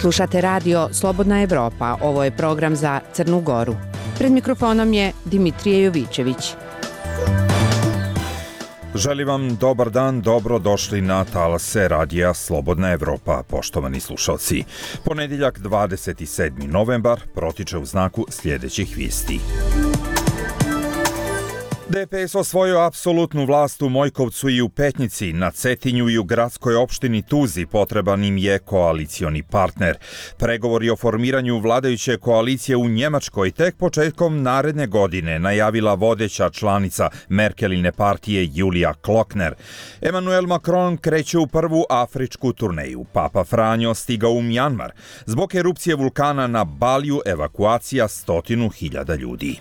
Slušate radio Slobodna Evropa, ovo je program za Crnu Goru. Pred mikrofonom je Dimitrije Jovićević. Želim vam dobar dan, dobro došli na talase radija Slobodna Evropa, poštovani slušalci. Ponedjeljak 27. novembar protiče u znaku sljedećih vijesti. DPS osvojio apsolutnu vlast u Mojkovcu i u Petnici, na Cetinju i u gradskoj opštini Tuzi potreban im je koalicioni partner. Pregovori o formiranju vladajuće koalicije u Njemačkoj tek početkom naredne godine najavila vodeća članica Merkeline partije Julija Klöckner. Emmanuel Macron kreće u prvu afričku turneju. Papa Franjo stigao u Mjanmar. Zbog erupcije vulkana na Baliju evakuacija 100.000 ljudi.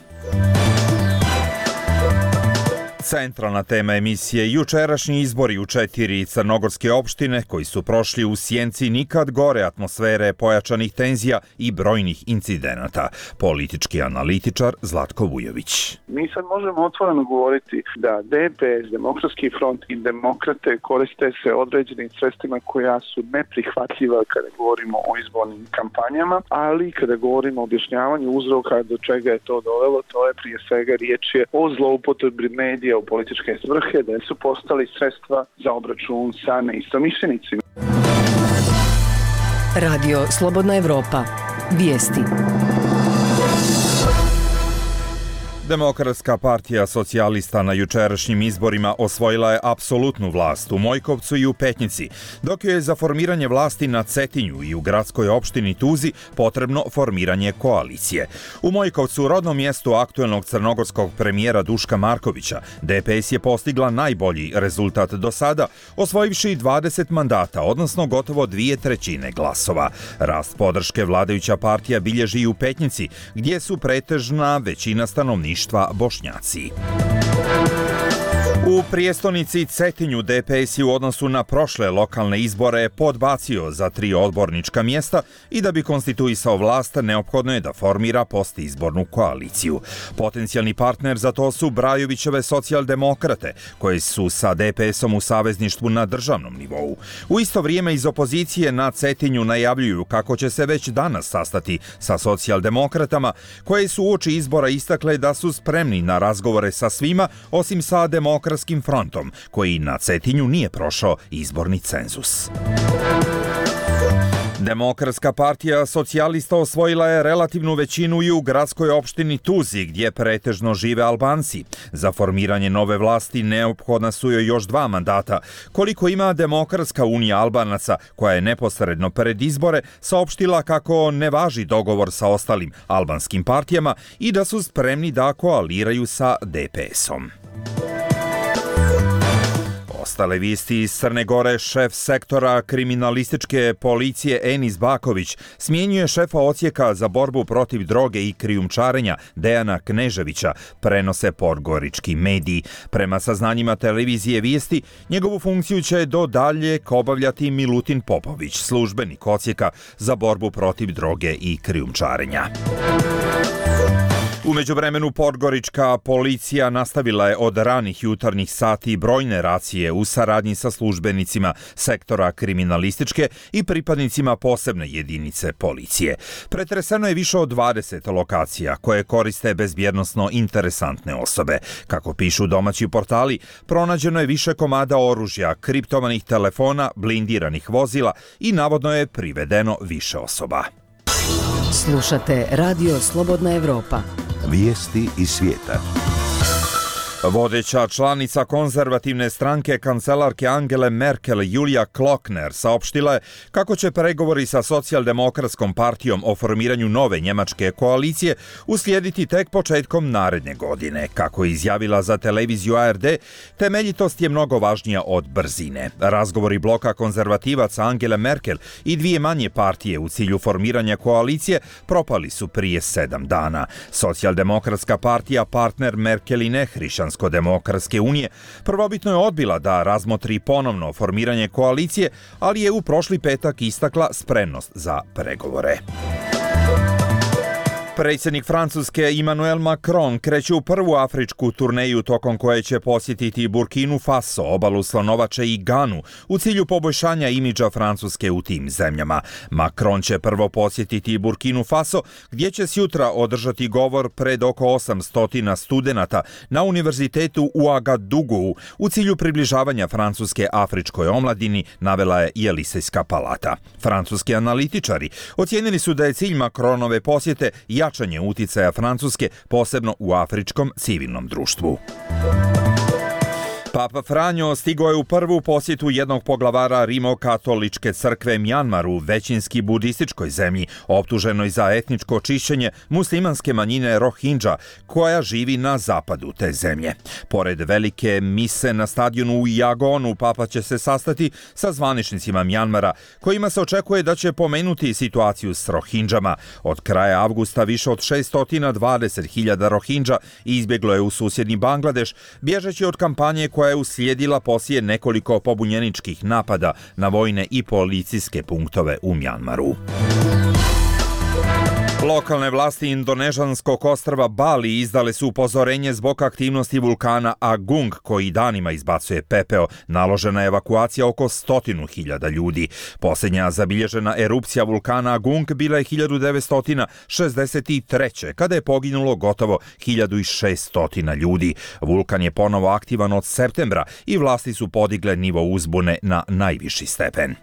Centralna tema emisije jučerašnji izbori u 4 crnogorske opštine koji su prošli u sjenci nikad gore atmosfere pojačanih tenzija i brojnih incidenata. Politički analitičar Zlatko Vujović. Mi sad možemo otvoreno govoriti da DPS, Demokratski front i demokrate koriste se određenim sredstvima koja su neprihvatljiva kada govorimo o izbornim kampanjama, ali kada govorimo o objašnjavanju uzroka do čega je to dovelo, to je prije svega riječ je o zloupotrebi medija u političke svrhe, da su postali sredstva za obračun sa neistomišljenicima. Radio Slobodna Evropa. Vijesti. Demokratska partija socijalista na jučerašnjim izborima osvojila je apsolutnu vlast u Mojkovcu i u Petnici, dok je za formiranje vlasti na Cetinju i u gradskoj opštini Tuzi potrebno formiranje koalicije. U Mojkovcu, rodnom mjestu aktuelnog crnogorskog premijera Duška Markovića, DPS je postigla najbolji rezultat do sada, osvojivši 20 mandata, odnosno gotovo 2/3 glasova. Rast podrške vladajuća partija bilježi i u Petnici, gdje su pretežna većina stanovništva Bošnjaci. U prijestolnici Cetinju DPS je u odnosu na prošle lokalne izbore podbacio za 3 odbornička mjesta i da bi konstituisao vlast neophodno je da formira postizbornu koaliciju. Potencijalni partner za to su Brajovićeve socijaldemokrate, koje su sa DPS-om u savezništvu na državnom nivou. U isto vrijeme iz opozicije na Cetinju najavljuju kako će se već danas sastati sa socijaldemokratama, koje su uoči izbora istakle da su spremni na razgovore sa svima, osim sa Demokratskim frontom, koji na Cetinju nije prošao izborni cenzus. Demokratska partija socijalista osvojila je relativnu većinu i u gradskoj opštini Tuzi, gdje pretežno žive Albanci. Za formiranje nove vlasti neophodna su joj još 2 mandata. Koliko ima Demokratska unija Albanaca, koja je neposredno pred izbore saopštila kako ne važi dogovor sa ostalim albanskim partijama i da su spremni da koaliraju sa DPS-om. Ostale vijesti iz Crne Gore, šef sektora kriminalističke policije Enis Baković smjenjuje šefa odsjeka za borbu protiv droge i krijumčarenja Dejana Kneževića, prenose podgorički mediji. Prema saznanjima televizije Vijesti, njegovu funkciju će do daljeg obavljati Milutin Popović, službenik odsjeka za borbu protiv droge i krijumčarenja. U međuvremenu podgorička policija nastavila je od ranih jutarnjih sati brojne racije u saradnji sa službenicima sektora kriminalističke i pripadnicima posebne jedinice policije. Pretreseno je više od 20 lokacija koje koriste bezbjednosno interesantne osobe. Kako pišu domaći portali, pronađeno je više komada oružja, kriptovanih telefona, blindiranih vozila i navodno je privedeno više osoba. Slušate Radio Slobodna Evropa. Vijesti iz svijeta. Vodeća članica konzervativne stranke kancelarke Angele Merkel, Julija Klöckner, saopštila je kako će pregovori sa socijaldemokratskom partijom o formiranju nove njemačke koalicije uslijediti tek početkom naredne godine. Kako je izjavila za televiziju ARD, temeljitost je mnogo važnija od brzine. Razgovori bloka konzervativaca Angele Merkel i 2 manje partije u cilju formiranja koalicije propali su prije 7 dana. Socijaldemokratska partija, partner Merkeline Hrišćansko-demokratske unije, prvobitno je odbila da razmotri ponovno formiranje koalicije, ali je u prošli petak istakla spremnost za pregovore. Predsjednik Francuske Emmanuel Macron kreće u prvu afričku turneju tokom koje će posjetiti Burkinu Faso, obalu Slonovače i Ganu u cilju poboljšanja imidža Francuske u tim zemljama. Macron će prvo posjetiti Burkinu Faso gdje će sjutra održati govor pred oko 800 studenata na univerzitetu u Agadougou u cilju približavanja Francuske afričkoj omladini, navela je i Elisejska palata. Francuski analitičari ocijenili su da je cilj Macronove posjete jačanje uticaja Francuske, posebno u afričkom civilnom društvu. Papa Franjo stigao je u prvu posjetu jednog poglavara Rimokatoličke crkve Mjanmaru, većinski budističkoj zemlji, optuženoj za etničko čišćenje muslimanske manjine Rohingya, koja živi na zapadu te zemlje. Pored velike mise na stadionu u Jagonu, Papa će se sastati sa zvaničnicima Mjanmara, kojima se očekuje da će pomenuti situaciju s Rohingjama. Od kraja avgusta više od 620.000 Rohingya izbjeglo je u susjedni Bangladeš, bježeći od kampanje koja je uslijedila poslije nekoliko pobunjeničkih napada na vojne i policijske punktove u Mjanmaru. Lokalne vlasti indonežanskog ostrva Bali izdale su upozorenje zbog aktivnosti vulkana Agung, koji danima izbacuje pepeo. Naložena je evakuacija oko 100.000 ljudi. Posljednja zabilježena erupcija vulkana Agung bila je 1963. kada je poginulo gotovo 1600 ljudi. Vulkan je ponovo aktivan od septembra i vlasti su podigle nivo uzbune na najviši stepen.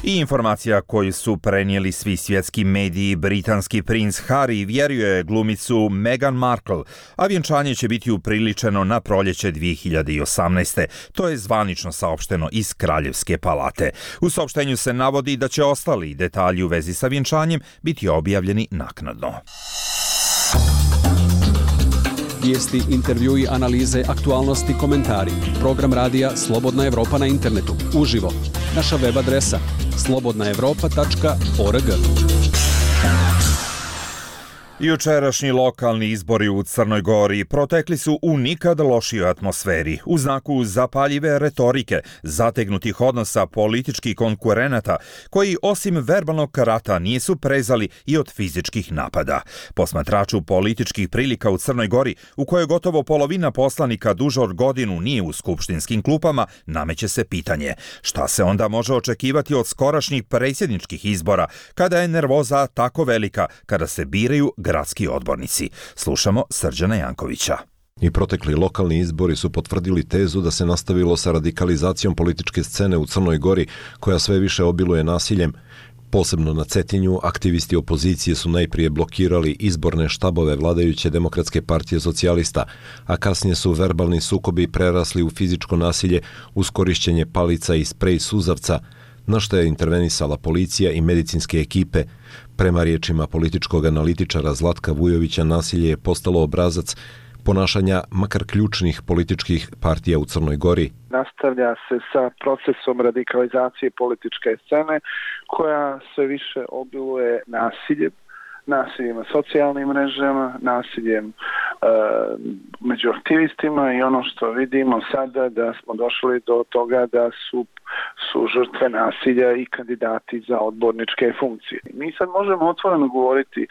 I informacija koju su prenijeli svi svjetski mediji, britanski princ Harry vjeruje glumicu Meghan Markle, a vjenčanje će biti upriličeno na proljeće 2018. To je zvanično saopšteno iz Kraljevske palate. U saopštenju se navodi da će ostali detalji u vezi sa vjenčanjem biti objavljeni naknadno. Vijesti, intervjui, analize, aktualnosti, komentari. Program radija Slobodna Evropa na internetu. Uživo. Naša web adresa slobodnaevropa.org. Jučerašnji lokalni izbori u Crnoj Gori protekli su u nikad lošijoj atmosferi, u znaku zapaljive retorike, zategnutih odnosa političkih konkurenata, koji osim verbalnog rata nisu prezali i od fizičkih napada. Posmatraču političkih prilika u Crnoj Gori, u kojoj gotovo polovina poslanika duže od godinu nije u skupštinskim klupama, nameće se pitanje: šta se onda može očekivati od skorašnjih predsjedničkih izbora, kada je nervoza tako velika, kada se biraju gradski odbornici? Slušamo Srđana Jankovića. I protekli lokalni izbori su potvrdili tezu da se nastavilo sa radikalizacijom političke scene u Crnoj Gori, koja sve više obiluje nasiljem. Posebno na Cetinju, aktivisti opozicije su najprije blokirali izborne štabove vladajuće Demokratske partije socijalista, a kasnije su verbalni sukobi prerasli u fizičko nasilje uz korišćenje palica i sprej suzavca, na što je intervenisala policija i medicinske ekipe. Prema riječima političkog analitičara Zlatka Vujovića, nasilje je postalo obrazac ponašanja makar ključnih političkih partija u Crnoj Gori. Nastavlja se sa procesom radikalizacije političke scene koja sve više obiluje nasiljem na socijalnim mrežama, nasiljem među aktivistima, i ono što vidimo sada da smo došli do toga da su žrtve nasilja i kandidati za odborničke funkcije. Mi sad možemo otvoreno govoriti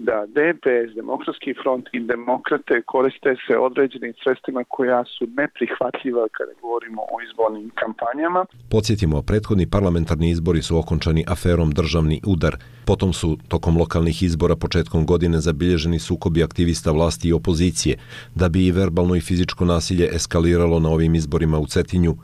da DPS, Demokratski front i demokrate koriste se određenim sredstvima koja su neprihvatljiva kada govorimo o izbornim kampanjama. Podsjetimo, prethodni parlamentarni izbori su okončani aferom Državni udar. Potom su tokom lokalnih izbora početkom godine zabilježeni sukobi aktivista vlasti i opozicije, da bi i verbalno i fizičko nasilje eskaliralo na ovim izborima u Cetinju.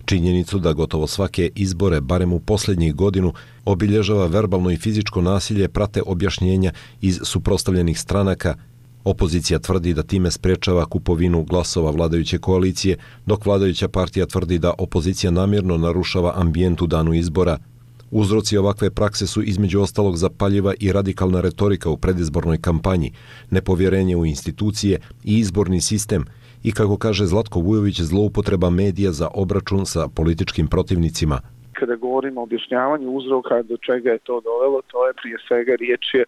Činjenicu da gotovo svake izbore, barem u posljednjih godinu, obilježava verbalno i fizičko nasilje prate objašnjenja iz suprotstavljenih stranaka. Opozicija tvrdi da time sprečava kupovinu glasova vladajuće koalicije, dok vladajuća partija tvrdi da opozicija namjerno narušava ambijent u danu izbora. Uzroci ovakve prakse su između ostalog zapaljiva i radikalna retorika u predizbornoj kampanji, nepovjerenje u institucije i izborni sistem i, kako kaže Zlatko Vujović, zloupotreba medija za obračun sa političkim protivnicima. Kada govorimo o objašnjavanju uzroka do čega je to dovelo, to je prije svega riječ je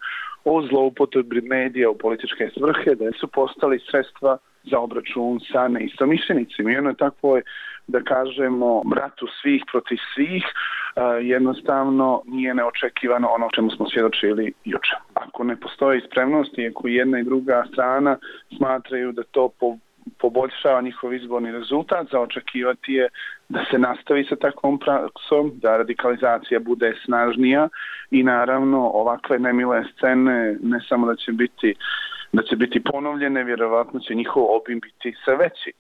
o zloupotrebi medija u političke svrhe, da su postali sredstva za obračun sa neistomišljenicima. I ono je takvo, da kažemo, ratu svih protiv svih, jednostavno nije neočekivano ono čemu smo svjedočili juče. Ako ne postoji spremnost i ako jedna i druga strana smatraju da to poboljšava njihov izborni rezultat, za očekivati je da se nastavi sa takvom praksom, da radikalizacija bude snažnija i naravno ovakve nemile scene ne samo da će biti ponovljene, vjerovatno će njihov obim biti sve veći.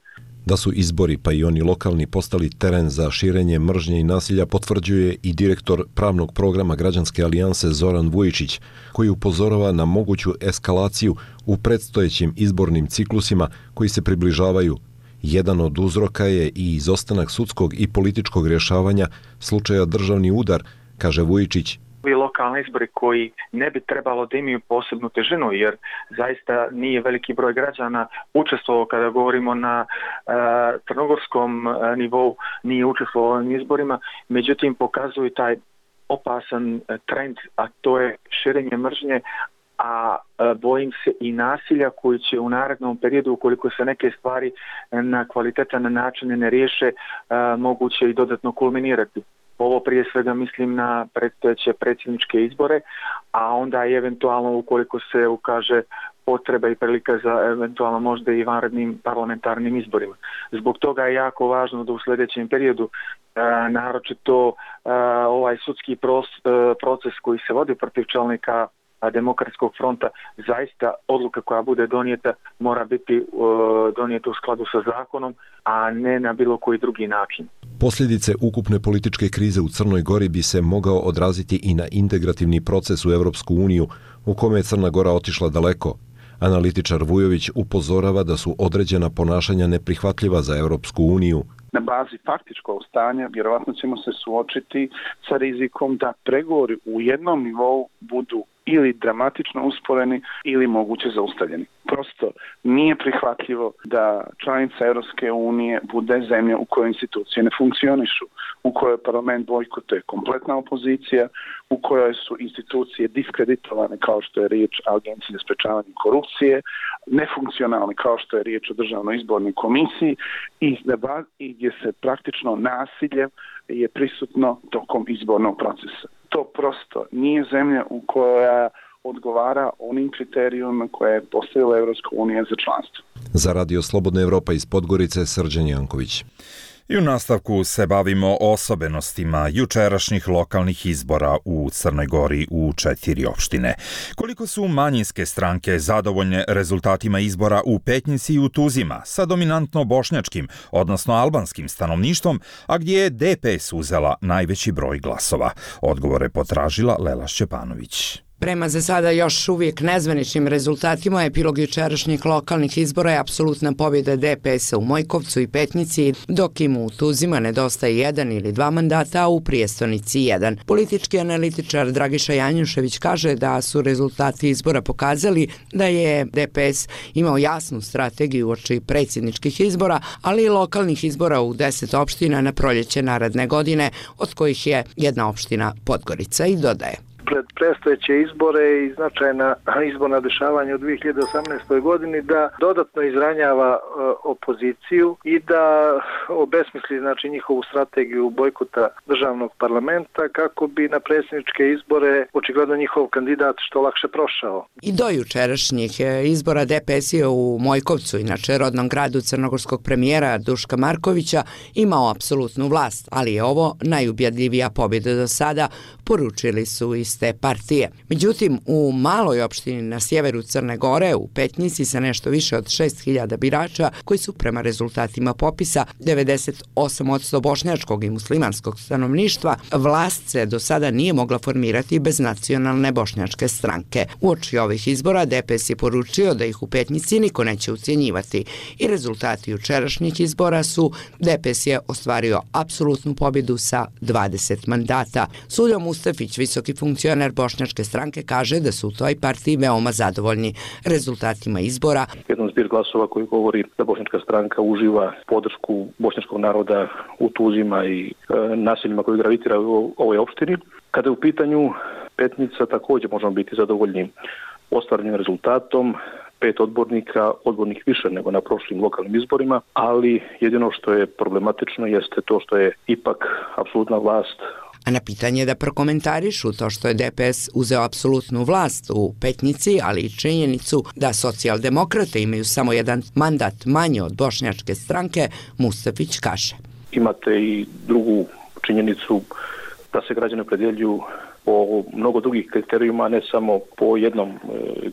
Da su izbori, pa i oni lokalni, postali teren za širenje mržnje i nasilja potvrđuje i direktor pravnog programa Građanske alijanse Zoran Vujičić, koji upozorava na moguću eskalaciju u predstojećim izbornim ciklusima koji se približavaju. Jedan od uzroka je i izostanak sudskog i političkog rješavanja slučaja državni udar, kaže Vujičić. Lokalni izbori koji ne bi trebalo da imaju posebnu težinu, jer zaista nije veliki broj građana učestvovao, kada govorimo na crnogorskom nivou, nije učestvovao u ovim izborima, međutim pokazuju taj opasan trend, a to je širenje mržnje, a bojim se i nasilja koji će u narednom periodu, ukoliko se neke stvari na kvalitetan način ne riješe, moguće i dodatno kulminirati. Ovo prije svega mislim na predstojeće predsjedničke izbore, a onda i eventualno ukoliko se ukaže potreba i prilika za eventualno možda i vanrednim parlamentarnim izborima. Zbog toga je jako važno da u sljedećem periodu naročito ovaj sudski proces koji se vodi protiv čelnika Demokratskog fronta, zaista odluka koja bude donijeta mora biti donijeta u skladu sa zakonom, a ne na bilo koji drugi način. Posljedice ukupne političke krize u Crnoj Gori bi se mogao odraziti i na integrativni proces u Europsku uniju, u kome je Crna Gora otišla daleko. Analitičar Vujović upozorava da su određena ponašanja neprihvatljiva za Europsku uniju. Na bazi faktičkog stanja vjerovatno ćemo se suočiti sa rizikom da pregovori u jednom nivou budu ili dramatično usporeni ili moguće zaustavljeni. Prosto nije prihvatljivo da članica Europske unije bude zemlja u kojoj institucije ne funkcionišu, u kojoj parlament bojkotuje kompletna opozicija, u kojoj su institucije diskreditovane kao što je riječ o Agenciji za sprečavanje korupcije, nefunkcionalne kao što je riječ o Državnoj izbornoj komisiji i gdje se praktično nasilje je prisutno tokom izbornog procesa. To prosto nije zemlja u koja odgovara onim kriterijima koje je postavila Europska unija za članstvo. Za Radio Slobodna Evropa iz Podgorice, Srđan Janković. I u nastavku se bavimo osobenostima jučerašnjih lokalnih izbora u Crnoj Gori u 4 opštine. Koliko su manjinske stranke zadovoljne rezultatima izbora u Petnici i u Tuzima sa dominantno bošnjačkim, odnosno albanskim stanovništvom, a gdje je DPS uzela najveći broj glasova? Odgovore potražila Lela Šćepanović. Prema za sada još uvijek nezvaničnim rezultatima epilog jučerašnjih lokalnih izbora je apsolutna pobjeda DPS-a u Mojkovcu i Petnici, dok im u Tuzima nedostaje 1 ili 2 mandata, a u Prijestonici 1. Politički analitičar Dragiša Janjušević kaže da su rezultati izbora pokazali da je DPS imao jasnu strategiju uoči predsjedničkih izbora, ali i lokalnih izbora u 10 opština na proljeće naredne godine, od kojih je jedna opština Podgorica, i dodaje. Pred predstojeće izbore i značajna izborna dešavanja u 2018. godini da dodatno izranjava opoziciju i da obesmisli njihovu strategiju bojkota državnog parlamenta kako bi na predsjedničke izbore očigledno njihov kandidat što lakše prošao. I do jučerašnjih izbora DPS je u Mojkovcu, inače rodnom gradu crnogorskog premijera Duška Markovića, imao apsolutnu vlast, ali je ovo najubjedljivija pobjeda do sada, poručili su iz te partije. Međutim, u maloj opštini na sjeveru Crne Gore, u Petnici, sa nešto više od 6.000 birača, koji su prema rezultatima popisa 98% bošnjačkog i muslimanskog stanovništva, vlast se do sada nije mogla formirati bez nacionalne bošnjačke stranke. Uoči ovih izbora DPS je poručio da ih u Petnici niko neće ucjenjivati i rezultati jučerašnjih izbora su: DPS je ostvario apsolutnu pobjedu sa 20 mandata. Suljo Mustafić, visoki funkcioner bošnjačke stranke, kaže da su u toj partiji veoma zadovoljni rezultatima izbora. Jedan zbir glasova koji govori da bošnjačka stranka uživa podršku bošnjačkog naroda u Tuzima i naseljima koji gravitira u ovoj opštini. Kada je u pitanju Petnica, također možemo biti zadovoljni ostvarenim rezultatom. 5 odbornika, odbornik više nego na prošlim lokalnim izborima, ali jedino što je problematično jeste to što je ipak apsolutna vlast. A na pitanje da prokomentarišu to što je DPS uzeo apsolutnu vlast u Petnici, ali i činjenicu da socijaldemokrate imaju samo jedan mandat manje od bošnjačke stranke, Mustafić kaže. Imate i drugu činjenicu da se građani opredjeljuju po mnogo drugih kriterijuma, ne samo po jednom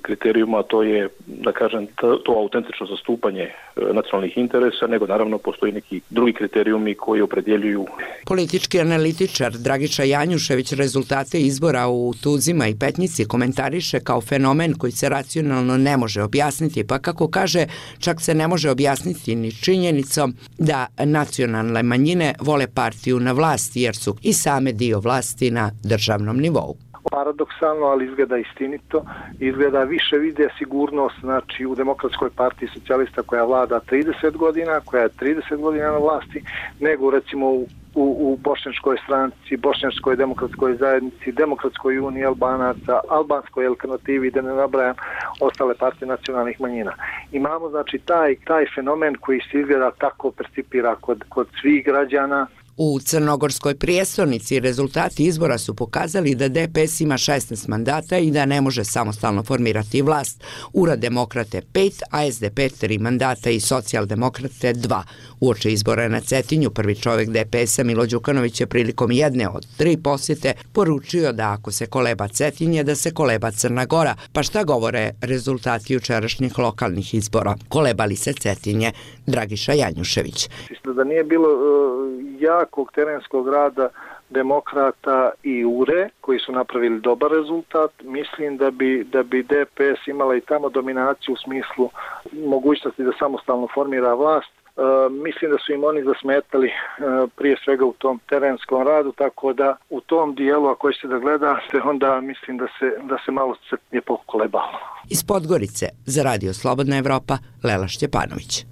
kriterijuma, a to je, da kažem, to autentično zastupanje nacionalnih interesa, nego naravno postoji neki drugi kriterijumi koji opredjeljuju. Politički analitičar Dragiša Janjušević rezultate izbora u Tuzima i Petnici komentariše kao fenomen koji se racionalno ne može objasniti, pa kako kaže, čak se ne može objasniti ni činjenicom da nacionalne manjine vole partiju na vlasti, jer su i same dio vlasti na državnom nivou. Paradoksalno, ali izgleda istinito, izgleda više vide sigurnost, znači u Demokratskoj partiji socijalista koja vlada 30 godina, koja je 30 godina na vlasti, nego recimo u bošnjačkoj stranci, bošnjačkoj demokratskoj zajednici, demokratskoj uniji Albanaca, albanskoj alternativi, da ne nabrajam ostale partije nacionalnih manjina. Imamo znači taj fenomen koji se izgleda tako percipira kod svih građana. U crnogorskoj prijestolnici rezultati izbora su pokazali da DPS ima 16 mandata i da ne može samostalno formirati vlast. URA Demokrate 5, a SDP 3 mandata i Socijaldemokrate 2. Uoči izbora na Cetinju prvi čovjek DPS-a Milo Đukanović je prilikom jedne od 3 posjete poručio da ako se koleba Cetinje, da se koleba Crna Gora. Pa šta govore rezultati jučerašnjih lokalnih izbora? Koleba li se Cetinje? Dragiša Janjušević. Da nije bilo jakog terenskog rada Demokrata i URE koji su napravili dobar rezultat, mislim da bi DPS imala i tamo dominaciju u smislu mogućnosti da samostalno formira vlast. Mislim da su im oni zasmetali prije svega u tom terenskom radu, tako da u tom dijelu ako ćete da gledate, onda mislim da se malo je pokolebalo. Iz Podgorice za Radio Slobodna Evropa, Lela Šćepanović.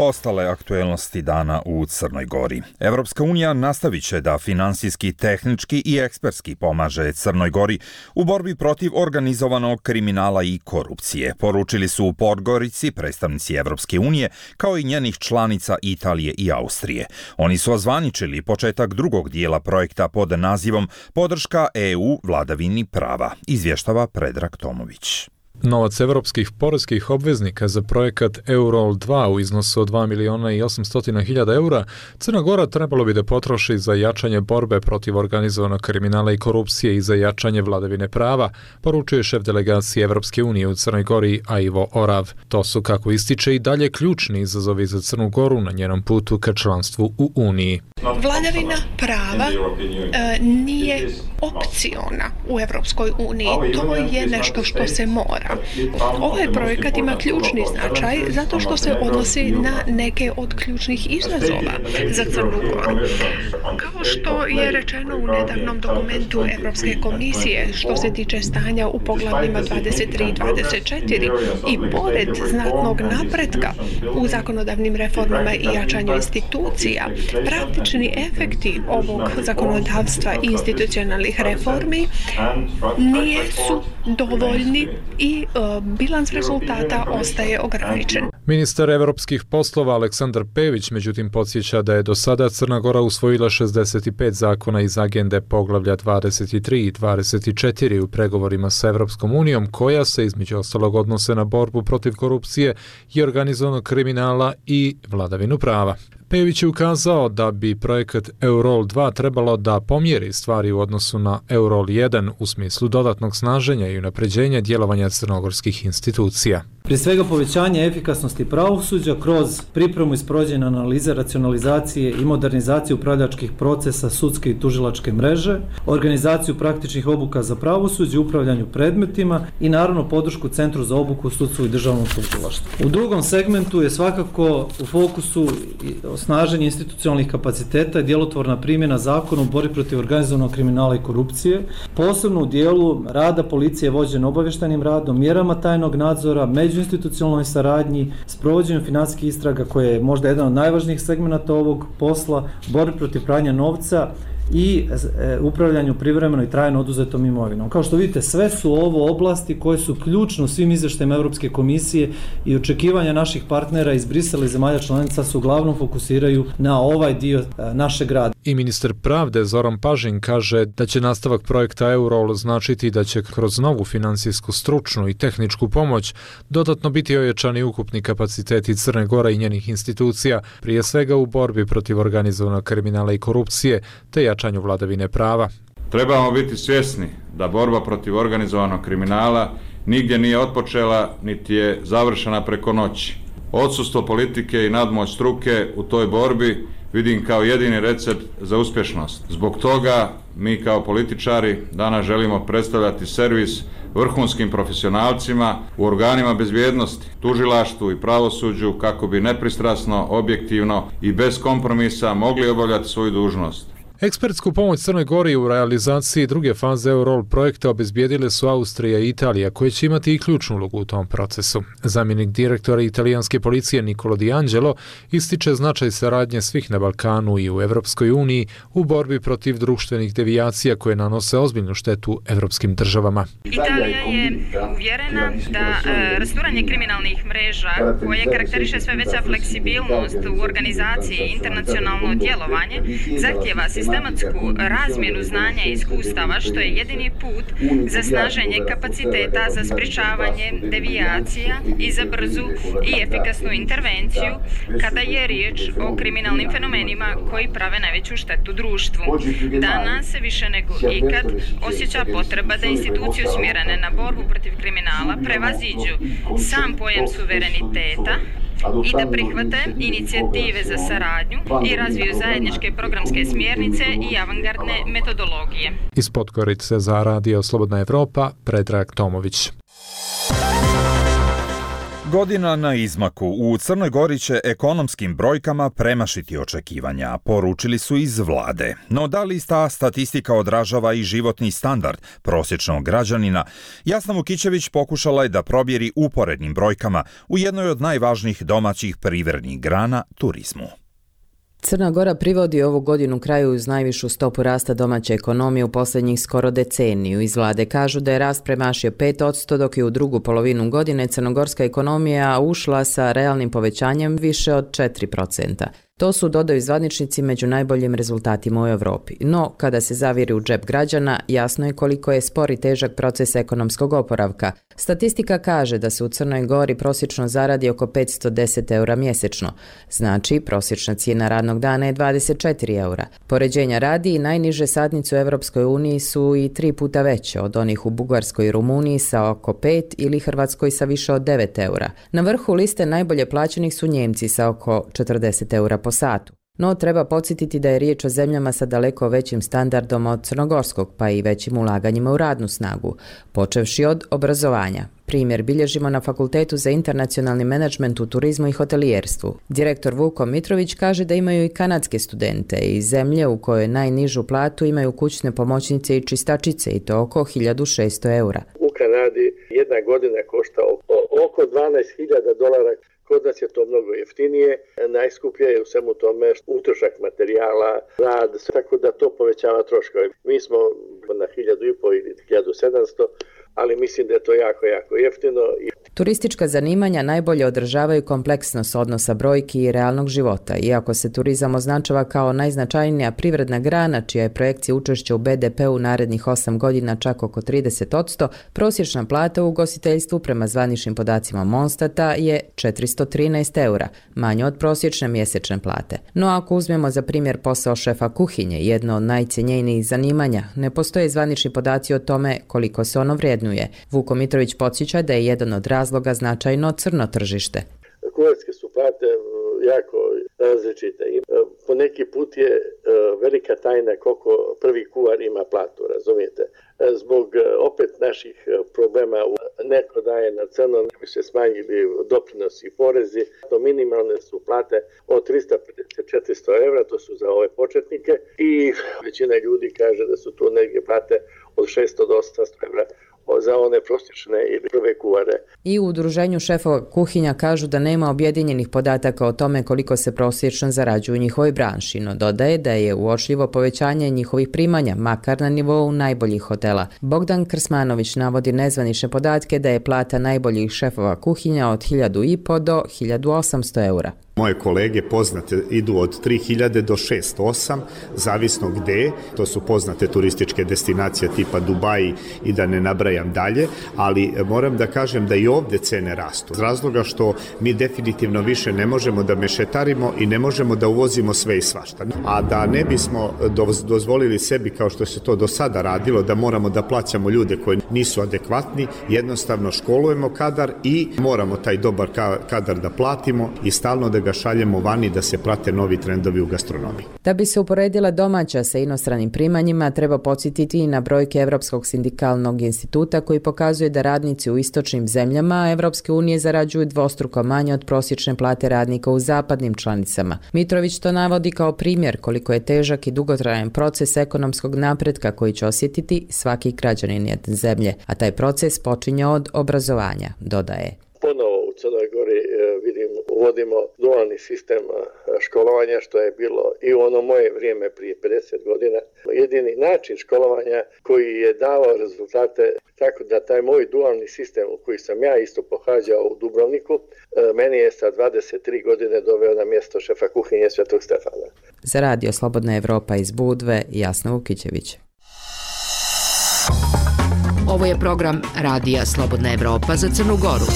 Ostale aktuelnosti dana u Crnoj Gori. Evropska unija nastavit će da finansijski, tehnički i ekspertski pomaže Crnoj Gori u borbi protiv organizovanog kriminala i korupcije, poručili su u Podgorici predstavnici Evropske unije, kao i njenih članica Italije i Austrije. Oni su ozvaničili početak drugog dijela projekta pod nazivom Podrška EU vladavini prava, izvještava Predrag Tomović. Novac evropskih poreskih obveznika za projekat Eurol 2 u iznosu od 2.800.000 eura Crna Gora trebalo bi da potroši za jačanje borbe protiv organizovanog kriminala i korupcije i za jačanje vladavine prava, poručuje šef delegacije Evropske unije u Crnoj Gori Ivo Orav. To su, kako ističe, i dalje ključni izazovi za Crnu Goru na njenom putu ka članstvu u Uniji. Vladavina prava nije opciona u Evropskoj uniji. To je nešto što se mora. Ovaj projekat ima ključni značaj zato što se odnosi na neke od ključnih izazova za Crnu Goru. Kao što je rečeno u nedavnom dokumentu Evropske komisije što se tiče stanja u poglavljima 23 i 24 i pored znatnog napretka u zakonodavnim reformama i jačanju institucija, praktični efekti ovog zakonodavstva i institucionalnih reformi nisu dovoljni i bilans rezultata ostaje ograničen. Ministar evropskih poslova Aleksandar Pević međutim podsjeća da je do sada Crna Gora usvojila 65 zakona iz agende poglavlja 23 i 24 u pregovorima sa Evropskom unijom, koja se između ostalog odnose na borbu protiv korupcije i organizovanog kriminala i vladavinu prava. Pević je ukazao da bi projekat Eurol 2 trebalo da pomjeri stvari u odnosu na Eurol 1 u smislu dodatnog snaženja i unapređenja djelovanja crnogorskih institucija. Prije svega povećanje efikasnosti pravosuđa kroz pripremu i sprovođenje analize, racionalizacije i modernizacije upravljačkih procesa sudske i tužilačke mreže, organizaciju praktičnih obuka za pravosuđe, upravljanju predmetima i naravno podršku Centru za obuku u sudstvu i državnom tužilaštvu. U drugom segmentu je svakako u fokusu osnaženje institucionalnih kapaciteta i djelotvorna primjena zakona u borbi protiv organizovanog kriminala i korupcije, posebno u dijelu rada policije vođen obavještajnim radom, mjerama tajnog nadzora, međuinstitucionalnoj saradnji, sprovođenju financijskih istraga koje je možda jedan od najvažnijih segmenata ovog posla, borbi protiv pranja novca i upravljanju privremeno i trajno oduzetom imovinom. Kao što vidite, sve su ovo oblasti koje su ključne u svim izvještajima Europske komisije i očekivanja naših partnera iz Brisela i zemalja članica su uglavnom fokusiraju na ovaj dio našeg rada. I ministar pravde Zoran Pažin kaže da će nastavak projekta Eurol značiti da će kroz novu finansijsku, stručnu i tehničku pomoć dodatno biti ojačani ukupni kapaciteti Crne Gore i njenih institucija, prije svega u borbi protiv organizovanog kriminala i korupcije, te jačanju vladavine prava. Trebamo biti svjesni da borba protiv organizovanog kriminala nigdje nije otpočela, niti je završena preko noći. Odsustvo politike i nadmoć struke u toj borbi vidim kao jedini recept za uspješnost. Zbog toga mi kao političari danas želimo predstavljati servis vrhunskim profesionalcima u organima bezbjednosti, tužilaštvu i pravosuđu kako bi nepristrasno, objektivno i bez kompromisa mogli obavljati svoju dužnost. Ekspertsku pomoć Crnoj Gori u realizaciji druge faze Eurol projekta obezbijedile su Austrija i Italija, koje će imati i ključnu ulogu u tom procesu. Zamjenik direktora italijanske policije Nicolo Di Angelo ističe značaj saradnje svih na Balkanu i u Evropskoj uniji u borbi protiv društvenih devijacija koje nanose ozbiljnu štetu evropskim državama. Italija je uvjerena da rasturanje kriminalnih mreža koje karakteriše sve veća fleksibilnost u organizaciji i internacionalno djelovanje zahtjeva sistematsku razmjenu znanja i iskustava, što je jedini put za snaženje kapaciteta za sprječavanje devijacija i za brzu i efikasnu intervenciju kada je riječ o kriminalnim fenomenima koji prave najveću štetu društvu. Danas se više nego ikad osjeća potreba da institucije usmjerene na borbu protiv kriminala prevaziđu sam pojam suvereniteta i da prihvate inicijative za saradnju i razviju zajedničke programske smjernice i avangardne metodologije. Iz Podgorice za Radio Slobodna Evropa, Predrag Tomović. Godina na izmaku. U Crnoj Gori će ekonomskim brojkama premašiti očekivanja, poručili su iz vlade. No da li ta statistika odražava i životni standard prosječnog građanina? Jasna Vukićević pokušala je da probjeri uporednim brojkama u jednoj od najvažnijih domaćih privrednih grana, turizmu. Crna Gora privodi ovu godinu kraju uz najvišu stopu rasta domaće ekonomije u posljednjih skoro deceniju. Iz vlade kažu da je rast premašio 5%, dok je u drugu polovinu godine crnogorska ekonomija ušla sa realnim povećanjem više od 4%. To su, dodaju zvaničnici, među najboljim rezultatima u Europi. No, kada se zaviri u džep građana, jasno je koliko je spor i težak proces ekonomskog oporavka. Statistika kaže da se u Crnoj Gori prosječno zaradi oko 510 eura mjesečno. Znači, prosječna cijena radnog dana je 24 eura. Poređenja radi i najniže satnice u Europskoj uniji su i 3 puta veće od onih u Bugarskoj i Rumuniji sa oko 5 ili Hrvatskoj sa više od 9 eura. Na vrhu liste najbolje plaćenih su Njemci sa oko 40 eura po satu. No, treba podsjetiti da je riječ o zemljama sa daleko većim standardom od crnogorskog, pa i većim ulaganjima u radnu snagu, počevši od obrazovanja. Primjer bilježimo na Fakultetu za internacionalni menadžment u turizmu i hotelijerstvu. Direktor Vuko Mitrović kaže da imaju i kanadske studente iz zemlje u kojoj najnižu platu imaju kućne pomoćnice i čistačice i to oko 1600 eura. U Kanadi jedna godina košta oko $12,000. Kod nas je to mnogo jeftinije, najskuplje je u svemu tome utrošak materijala, rad, tako da to povećava troškove. Mi smo na 1.500 ili 1.700, ali mislim da je to jako jeftino. Turistička zanimanja najbolje održavaju kompleksnost odnosa brojki i realnog života. Iako se turizam označava kao najznačajnija privredna grana, čija je projekcija učešća u BDP-u narednih 8 godina čak oko 30%, prosječna plata u ugostiteljstvu prema zvaničnim podacima Monstata je 413 eura, manje od prosječne mjesečne plate. No ako uzmemo za primjer posao šefa kuhinje, jedno od najcijenjenijih zanimanja, ne postoje zvanični podaci o tome koliko se ono vrijednuje. Vuko Mitrović podsjeća da je jedan od razloga značajno crno tržište. Kuharske su plate jako različite. Po neki put je velika tajna koliko prvi kuhar ima platu, razumijete? Zbog opet naših problema neko daje na crno, ne bi se smanjili doprinosi i porezi. To minimalne su plate od 350-400 evra, to su za ove početnike i većina ljudi kaže da su to negdje plate od 600 do 800 evra za one prosječne ili prve kuhare. I u udruženju šefova kuhinja kažu da nema objedinjenih podataka o tome koliko se prosječno zarađuju u njihovoj branši, no dodaje da je uočljivo povećanje njihovih primanja, makar na nivou najboljih hotela. Bogdan Krsmanović navodi nezvanične podatke da je plata najboljih šefova kuhinja od 1.500 do 1.800 eura. Moje kolege poznate idu od 3.000 do 608, zavisno gde, to su poznate turističke destinacije tipa Dubai i da ne nabrajam dalje, ali moram da kažem da i ovde cene rastu. Z razloga što mi definitivno više ne možemo da mešetarimo i ne možemo da uvozimo sve i svašta. A da ne bismo dozvolili sebi, kao što se to do sada radilo, da moramo da plaćamo ljude koji nisu adekvatni, jednostavno školujemo kadar i moramo taj dobar kadar da platimo i stalno da ga šaljemo vani da se prate novi trendovi u gastronomiji. Da bi se uporedila domaća sa inostranim primanjima, treba podsjetiti i na brojke Evropskog sindikalnog instituta koji pokazuje da radnici u istočnim zemljama Evropske unije zarađuju dvostruko manje od prosječne plate radnika u zapadnim članicama. Mitrović to navodi kao primjer koliko je težak i dugotrajan proces ekonomskog napretka koji će osjetiti svaki građanin jedne zemlje, a taj proces počinje od obrazovanja, dodaje. Ponovo u Crnoj Gori uvodimo dualni sistem školovanja, što je bilo i u ono moje vrijeme prije 50 godina. Jedini način školovanja koji je davao rezultate, tako da taj moj dualni sistem u koji sam ja isto pohađao u Dubrovniku, meni je sa 23 godine doveo na mjesto šefa kuhinje Svetog Stefana. Za Radio Slobodna Evropa iz Budve, Jasna Vukićević. Ovo je program Radija Slobodna Evropa za Crnu Goru.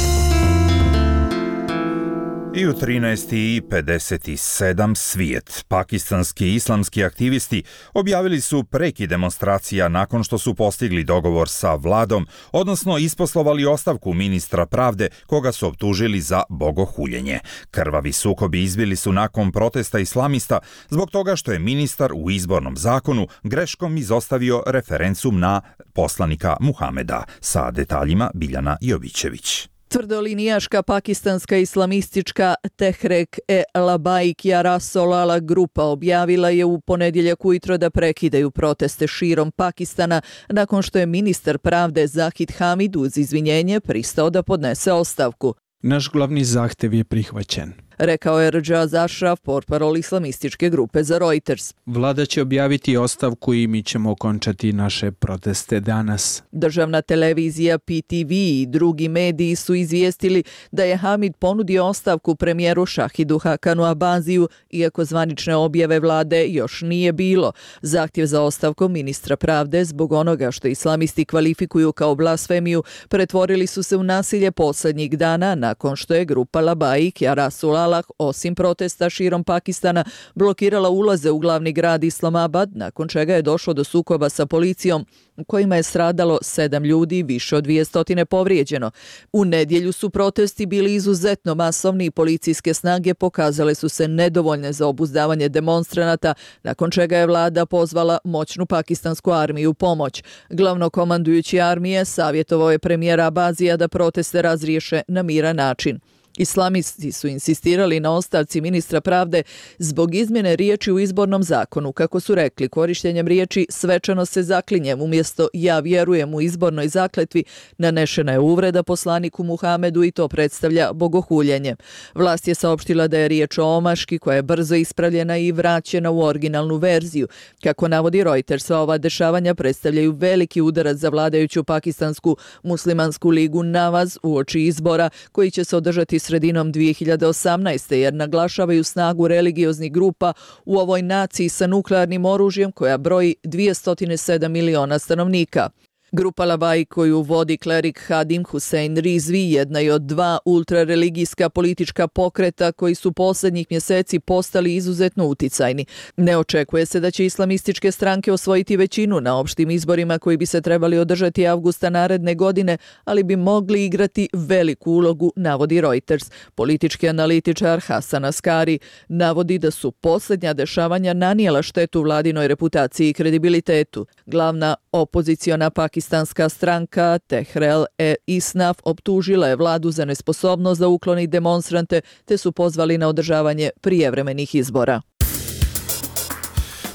I u 13:57 svijet. Pakistanski islamski aktivisti objavili su prekid demonstracija nakon što su postigli dogovor sa vladom, odnosno isposlovali ostavku ministra pravde koga su optužili za bogohuljenje. Krvavi sukobi izbili su nakon protesta islamista zbog toga što je ministar u izbornom zakonu greškom izostavio referencum na poslanika Muhameda. Sa detaljima Biljana Jovićević. Tvrdolinijaška pakistanska islamistička Tehrek-e-Labaik Jarasolala grupa objavila je u ponedjeljak ujutro da prekidaju proteste širom Pakistana nakon što je ministar pravde Zahid Hamid uz izvinjenje pristao da podnese ostavku. Naš glavni zahtev je prihvaćen, rekao je Rjaz Ashraf, portparol islamističke grupe za Reuters. Vlada će objaviti ostavku i mi ćemo okončati naše proteste danas. Državna televizija PTV i drugi mediji su izvijestili da je Hamid ponudio ostavku premijeru Shahidu Hakanu Abaziju, iako zvanične objave vlade još nije bilo. Zahtjev za ostavkom ministra pravde zbog onoga što islamisti kvalifikuju kao blasfemiju pretvorili su se u nasilje posljednjih dana nakon što je grupa Labaik Jarasulala osim protesta širom Pakistana blokirala ulaze u glavni grad Islamabad, nakon čega je došlo do sukoba sa policijom u kojima je stradalo 7 ljudi, više od 200 povrijeđeno. U nedjelju su protesti bili izuzetno masovni i policijske snage pokazale su se nedovoljne za obuzdavanje demonstranata, nakon čega je vlada pozvala moćnu pakistansku armiju u pomoć. Glavnokomandujući armije savjetovao je premijera Abazija da proteste razriješe na miran način. Islamisti su insistirali na ostavci ministra pravde zbog izmjene riječi u izbornom zakonu. Kako su rekli, korištenjem riječi svečano se zaklinjem umjesto ja vjerujem u izbornoj zakletvi nanešena je uvreda poslaniku Muhamedu i to predstavlja bogohuljenje. Vlast je saopštila da je riječ o omaški koja je brzo ispravljena i vraćena u originalnu verziju. Kako navodi Reuters, sva ova dešavanja predstavljaju veliki udarac za vladajuću pakistansku muslimansku ligu Nawaz uoči izbora koji će se održati sredinom 2018. jer naglašavaju snagu religioznih grupa u ovoj naciji sa nuklearnim oružjem koja broji 207 miliona stanovnika. Grupa Labaik koju vodi klerik Hadim Hussein Rizvi jedna je od 2 ultrareligijska politička pokreta koji su posljednjih mjeseci postali izuzetno uticajni. Ne očekuje se da će islamističke stranke osvojiti većinu na opštim izborima koji bi se trebali održati avgusta naredne godine, ali bi mogli igrati veliku ulogu, navodi Reuters. Politički analitičar Hasan Askari navodi da su posljednja dešavanja nanijela štetu vladinoj reputaciji i kredibilitetu. Glavna opoziciona pakistanska stranka Tehrek-e-Isnaf optužila je vladu za nesposobnost da ukloni demonstrante te su pozvali na održavanje prijevremenih izbora.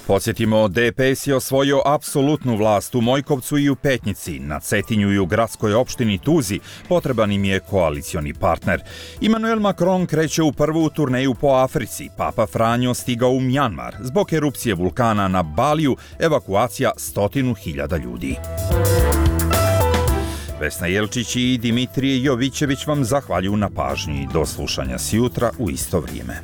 Podsjetimo, DPS je osvojio apsolutnu vlast u Mojkovcu i u Petnici. Na Cetinju i u gradskoj opštini Tuzi potreban im je koalicioni partner. Emmanuel Macron kreće u prvu turneju po Africi. Papa Franjo stigao u Mjanmar. Zbog erupcije vulkana na Baliju, evakuacija 100.000 ljudi. Vesna Jelčić i Dimitrije Jovićević vam zahvaljuju na pažnji. Do slušanja sjutra u isto vrijeme.